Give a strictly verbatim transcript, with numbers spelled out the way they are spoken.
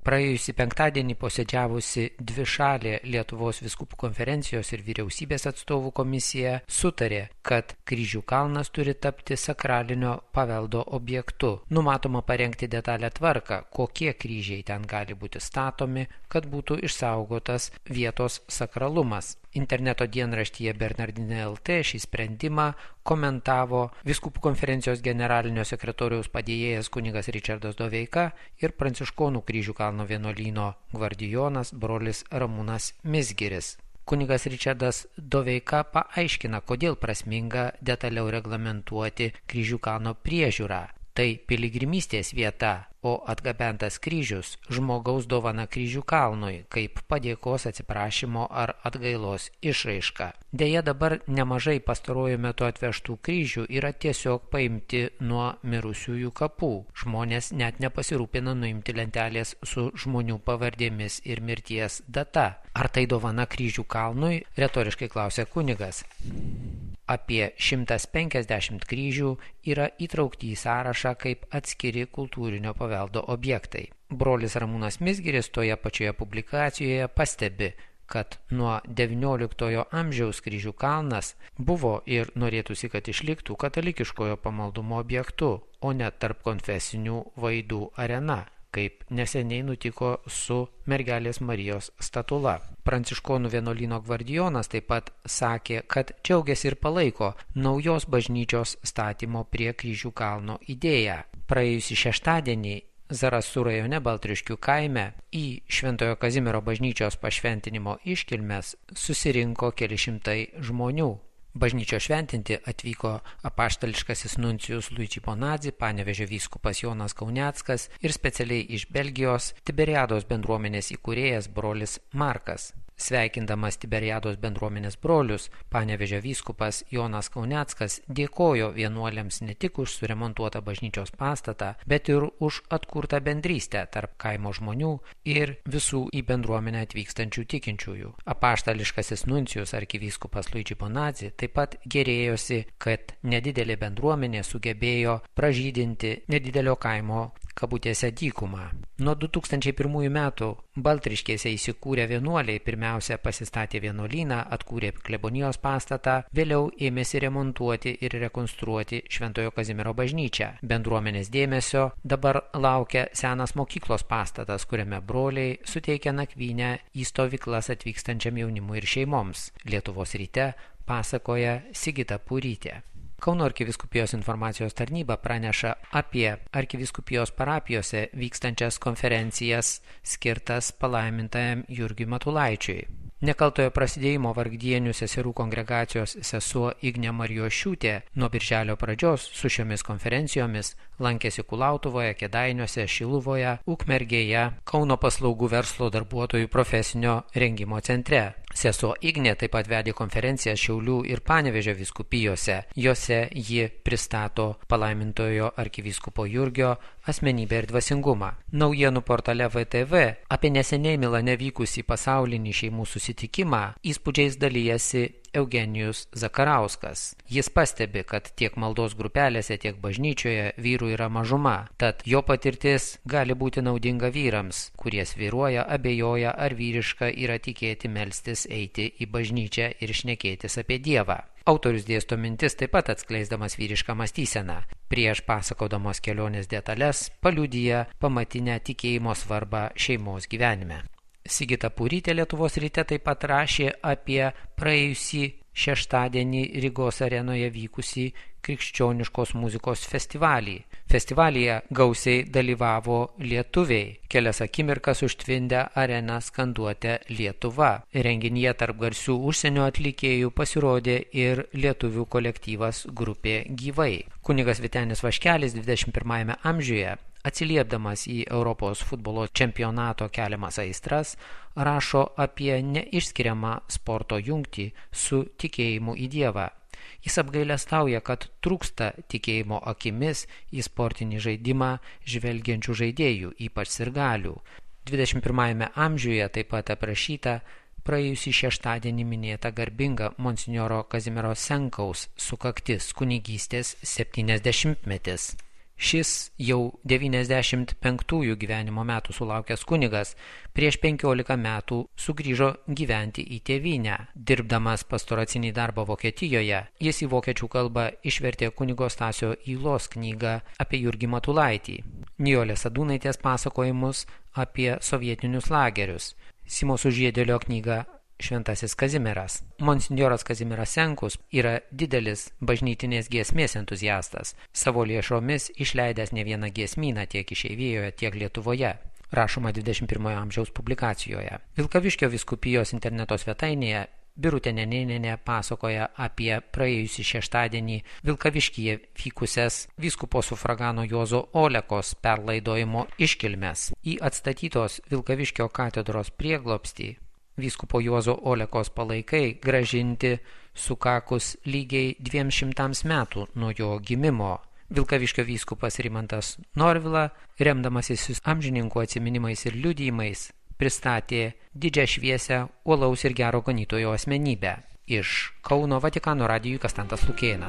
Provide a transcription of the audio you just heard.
Praėjusį penktadienį posėdžiavusi dvišalė Lietuvos vyskupų konferencijos ir vyriausybės atstovų komisija sutarė, kad Kryžių kalnas turi tapti sakralinio paveldo objektu. Numatoma parengti detalę tvarką, kokie kryžiai ten gali būti statomi, kad būtų išsaugotas vietos sakralumas. Interneto dienraštyje Bernardinė L T šį sprendimą komentavo vyskupų konferencijos generalinio sekretoriaus padėjėjas kunigas Ričardas Doveika ir Pranciškonų Kryžių kalno vienuolyno gvardijonas brolis Ramūnas Mizgiris. Kunigas Ričardas Doveika paaiškina, kodėl prasminga detaliau reglamentuoti Kryžių kalno priežiūrą. Tai piligrimystės vieta, o atgabentas kryžius žmogaus dovana Kryžių kalnui, kaip padėkos, atsiprašymo ar atgailos išraiška. Deja, dabar nemažai pastaruoju metu atvežtų kryžių yra tiesiog paimti nuo mirusiųjų kapų. Žmonės net nepasirūpina nuimti lentelės su žmonių pavardėmis ir mirties data. Ar tai dovana Kryžių kalnui? Retoriškai klausė kunigas. Apie šimtas penkiasdešimt kryžių yra įtraukti į sąrašą kaip atskiri kultūrinio paveldo objektai. Brolis Ramūnas Mizgiris toje pačioje publikacijoje pastebi, kad nuo devynioliktojo amžiaus Kryžių kalnas buvo ir norėtųsi, kad išliktų katalikiškojo pamaldumo objektu, o ne tarp konfesinių vaidų arena, kaip neseniai nutiko su Mergelės Marijos statula. Pranciškonų vienuolyno gvardijonas taip pat sakė, kad džiaugiasi ir palaiko naujos bažnyčios statymo prie Kryžių kalno idėją. Praėjusį šeštadienį Zarasų rajone Baltriškių kaime į Šventojo Kazimiero bažnyčios pašventinimo iškilmes susirinko keli šimtai žmonių. Bažnyčio šventinti atvyko apaštališkasis nuncijus Luigi Bonazzi, Panevėžio vyskupas Jonas Kauneckas ir specialiai iš Belgijos Tiberiados bendruomenės įkūrėjas brolis Markas. Sveikindamas Tiberiados bendruomenės brolius, Panevėžio vyskupas Jonas Kauneckas dėkojo vienuoliams ne tik už suremontuotą bažnyčios pastatą, bet ir už atkurtą bendrystę tarp kaimo žmonių ir visų į bendruomenę atvykstančių tikinčiųjų. Apaštališkasis nuncijus arkivyskupas Luigi Bonazzi taip pat gėrėjosi, kad nedidelė bendruomenė sugebėjo pražydinti nedidelio kaimo kabutėse dykumą. Nuo du tūkstančiai pirmųjų metų Baltriškėse įsikūrę vienuoliai pirmiausia pasistatė vienuolyną, atkūrė klebonijos pastatą, vėliau ėmėsi remontuoti ir rekonstruoti Šventojo Kazimiero bažnyčią. Bendruomenės dėmesio dabar laukia senas mokyklos pastatas, kuriame broliai suteikia nakvynę į stovyklas atvykstančiam jaunimui ir šeimoms. Lietuvos ryte pasakoja Sigita Purytė. Kauno arkivyskupijos informacijos tarnyba praneša apie arkivyskupijos parapijose vykstančias konferencijas skirtas palaimintajam Jurgiui Matulaičiui. Nekaltojo prasidėjimo Vargdienių seserų kongregacijos sesuo Ignė Marijošiūtė nuo birželio pradžios su šiomis konferencijomis lankėsi Kulautuvoje, Kėdainiuose, Šiluvoje, Ukmergėje, Kauno paslaugų verslo darbuotojų profesinio rengimo centre. Sesuo Ignė taip pat vedė konferenciją Šiaulių ir Panevėžio vyskupijose. Jose ji pristato palaimintojo arkivyskupo Jurgio asmenybę ir dvasingumą. Naujienų portale V T V apie neseniai Milane vykusį pasaulinį šeimų susitikimą įspūdžiais dalijasi Eugenijus Zakarauskas. Jis pastebi, kad tiek maldos grupelėse, tiek bažnyčioje vyrų yra mažuma, tad jo patirtis gali būti naudinga vyrams, kurie svyruoja, abejoja, ar vyriška yra tikėti melstis, eiti į bažnyčią ir šnekėtis apie Dievą. Autorius dėsto mintis taip pat atskleisdamas vyrišką mąstyseną. Prieš pasakodamas kelionės detalės paliudija pamatinę tikėjimo svarbą šeimos gyvenime. Sigita Purytė Lietuvos ryte taip pat rašė apie praėjusį šeštadienį Rygos arenoje vykusį krikščioniškos muzikos festivalį. Festivalyje gausiai dalyvavo lietuviai. Kelias akimirkas užtvindę areną skanduotę Lietuva. Renginyje tarp garsių užsienio atlikėjų pasirodė ir lietuvių kolektyvas grupė Gyvai. Kunigas Vytenis Vaškelis dvidešimt pirmajame amžiuje, atsiliepdamas į Europos futbolo čempionato keliamas aistras, rašo apie neišskiriamą sporto jungtį su tikėjimu į Dievą. Jis apgailestauja, kad trūksta tikėjimo akimis į sportinį žaidimą žvelgiančių žaidėjų, ypač sirgalių. dvidešimt pirmajame amžiuje taip pat aprašyta praėjusį šeštadienį minėta garbinga monsinjoro Kazimiero Senkaus sukaktis, kunigystės septyniasdešimtmetis. Šis jau devyniasdešimt penktųjų gyvenimo metų sulaukęs kunigas prieš penkiolika metų sugrįžo gyventi į tėvynę. Dirbdamas pastoracinį darbą Vokietijoje, jis į vokiečių kalbą išvertė kunigo Stasio Ylos knygą apie Jurgį Matulaitį, Nijolės Sadūnaitės pasakojimus apie sovietinius lagerius, Simo Sužiedėlio knygą Šventasis Kazimieras. Monsinjoras Kazimieras Senkus yra didelis bažnytinės giesmės entuziastas, savo lėšomis išleidęs ne vieną giesmyną tiek išeivijoje, tiek Lietuvoje, rašoma dvidešimt pirmojo amžiaus publikacijoje. Vilkaviškio vyskupijos interneto svetainėje Birutė Nenėnienė pasakoja apie praėjusį šeštadienį Vilkaviškyje vykusias vyskupo sufragano Juozo Olekos perlaidojimo iškilmes. Į atstatytos Vilkaviškio katedros prieglobstį vyskupo Juozo Olekos palaikai gražinti sukakus lygiai dviem šimtams metų nuo jo gimimo. Vilkaviškio vyskupas Rimantas Norvila, remdamasis amžininkų atsiminimais ir liudijimais, pristatė didžią šviesią uolaus ir gero ganytojo asmenybę. Iš Kauno Vatikano radijui Kastantas Lukėnas.